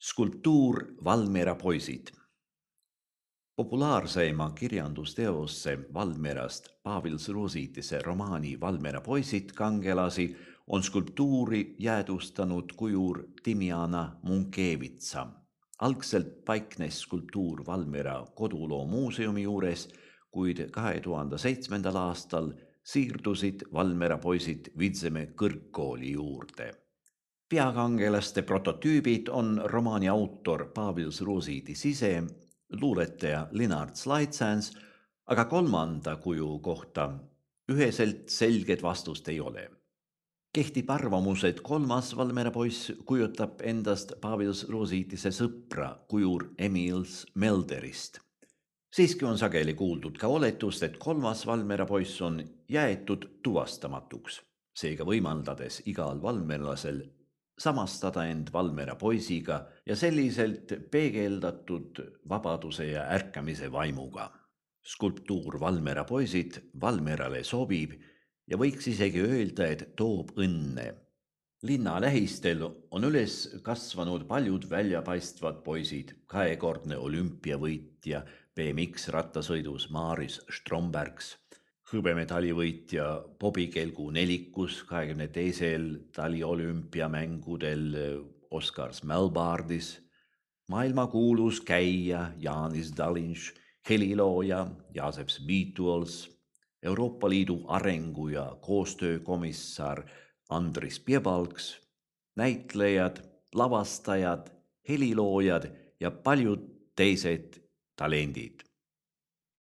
Skulptuur Valmiera poisid. Populaarseima kirjandusteosse Valmierast Pavel Sruusitise romaani Valmiera poisid kangelasi on skulptuuri jäädvustanud kujur Timjana Munkevitsa. Algselt paiknes skulptuur Valmiera koduloo muuseumi juures, kuid 2007. aastal siirdusid Valmiera poisid Vidzeme kõrgkooli juurde. Peakangelaste prototüübid on romaani autor Pavel Sruusitis ise, luuletaja Linard Slaitsans, aga kolmanda kuju kohta üheselt selget vastust ei ole. Kehtib arvamus, et kolmas Valmiera poiss kujutab endast Pavel Sruusitise sõpra kujur Emil Smelderist. Siiski on sageli kuuldud ka oletust, et kolmas Valmiera poiss on jäetud tuvastamatuks, seega võimaldades igal valmierlasel samastada end Valmiera poisiga ja selliselt peegeldatud vabaduse ja ärkamise vaimuga. Skulptuur Valmiera poisid Valmierale sobib ja võiks isegi öelda, et toob õnne. Linna lähistel on üles kasvanud paljud väljapaistvad poisid, kahekordne olümpiavõitja BMX rattasõidus Maris Strombergs, hõbemedalivõitja Bobikelgu nelikus 22. taliolümpiamängudel Oskar Smelbardis, maailmakuulus käija Janis Dalinš, helilooja Joseph Beatuls, Euroopa Liidu arengu- ja koostöökomissar Andris Piebalgs, näitlejad, lavastajad, heliloojad ja paljud teised talendid.